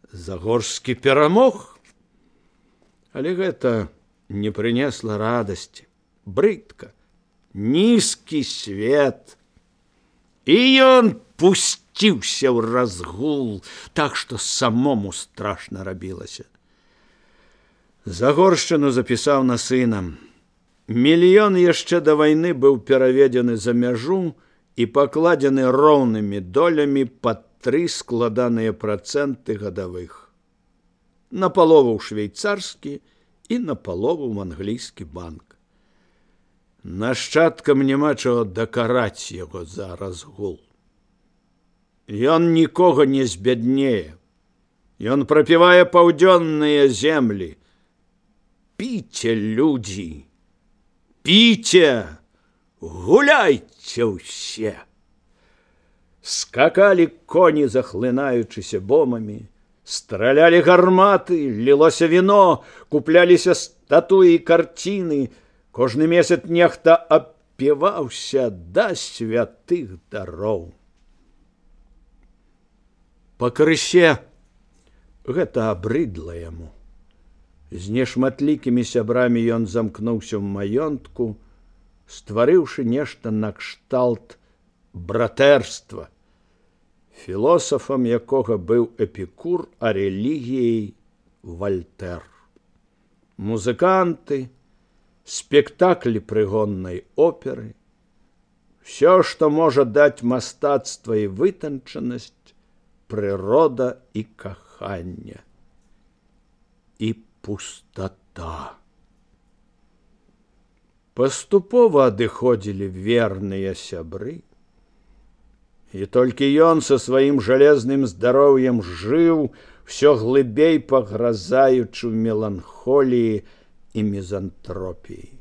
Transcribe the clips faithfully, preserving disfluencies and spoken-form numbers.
Загорскі перамог. Але гэта не прынесла радасці. Брыдка, нізкі свет. І ён пусціўся ў разгул, так што самому страшна рабілася. Загоршчыну запісаў на сына. Мільён яшчэ да вайны быў пераведзены за мяжу і пакладзены роўнымі долямі пад тры складаныя працэнты гадавых. Напалову ў швейцарскі і напалову ў англійскі банк. Нашчадкам няма чаго дакараць яго за разгул. Ён нікога не збяднее. Ён прапівае паўдзённыя землі. Піце, людзі, піце, гуляйце ўсе. Скакалі коні, захлынаючыся бомамі, стралялі гарматы, лілося віно, купляліся статуі і карціны. Кожны месяц нехта абпіваўся да святых дароў. Пакрысе гэта абрыдла яму. З нешматлікімі сябрамі ён замкнуўся ў маёнтку, стварыўшы нешта накшталт братэрства, філосафам якога быў Эпікур, а рэлігіяй Вальтэр. Музыканты, спектаклі прыгоннай оперы, все, што можа даць мастацтва і вытанчанасць, прырода і каханне. І пустата. Паступова адыходзілі верныя сябры, і толькі ён са сваім жалезным здароўем жыў, всё глыбей пагразаючы ў меланхоліі і мізантропіі.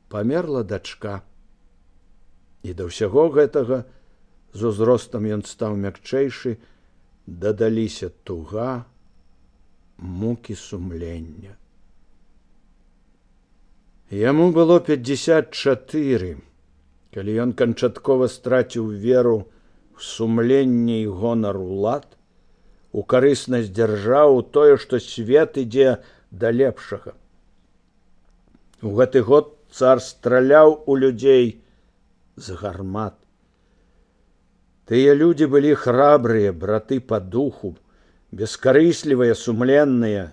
Памерла дачка, і да ўсяго гэтага з узростам ён стаў мякчэйшы, дадаліся туга, мукі сумлення. Яму было пятьдесят чатыры, калі ён канчаткова страціў веру в сумленне і гонар улад, у карыснасць дзяржаў, у тое, што свет ідзе да лепшага. У гэты год цар страляў у людзей з гармат. Тыя людзі былі храбрыя, браты па духу, бескарыслівыя, сумленныя,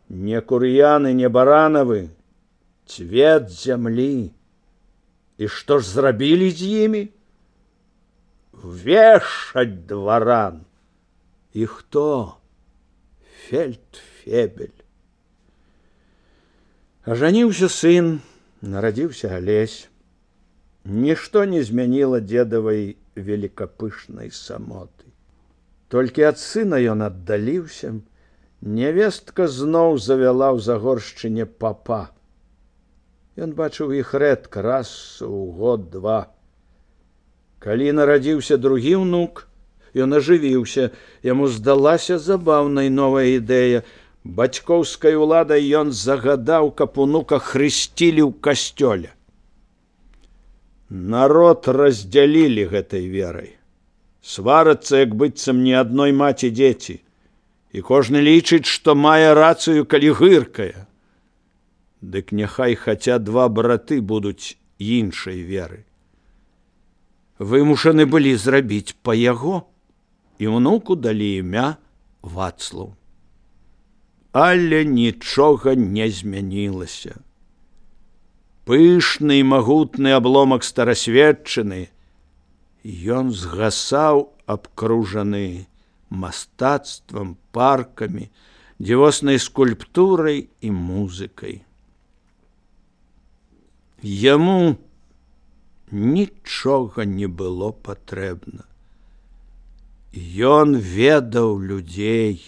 не кур'яны, не баранавы, цвет зямлі. І што ж зрабілі з імі? Вешаць дваран. І хто? Фельдфебель. Ажаніўся сын, нарадзіўся Алесь. Нішто не змяніла дзедавай великапышнай самоты. Толькі ад сына ён аддаліўся, нявестка зноў завяла ў Загоршчыне папа. Ён бачыў іх рэдка, раз у год-два. Калі нарадзіўся другі ўнук, ён ажывіўся, яму здалася забаўнай новая ідэя. Бацькоўскай уладай ён загадаў, каб унука хрысцілі ў касцёле. Народ раздзялілі гэтай верай. Сварацца, як быццам не адной маці дзеці. І кожны лічыць, што мае рацыю, калі гыркае. Дык няхай хаця два браты будуць іншай веры. Вымушаны былі зрабіць па яго, і ўнуку далі імя Вацлаў. Але нічога не змянілася. Пышны і магутны абломак старасветчыны, ён згасаў, абкружаны мастацтвам, паркамі, дзівоснай скульптурай і музыкай. Яму нічога не было патрэбна. Ён ведаў людзей,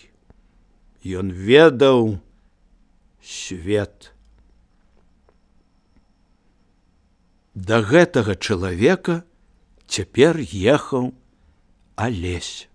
ён ведаў свет. Да гэтага чалавека цяпер ехаў Алесь.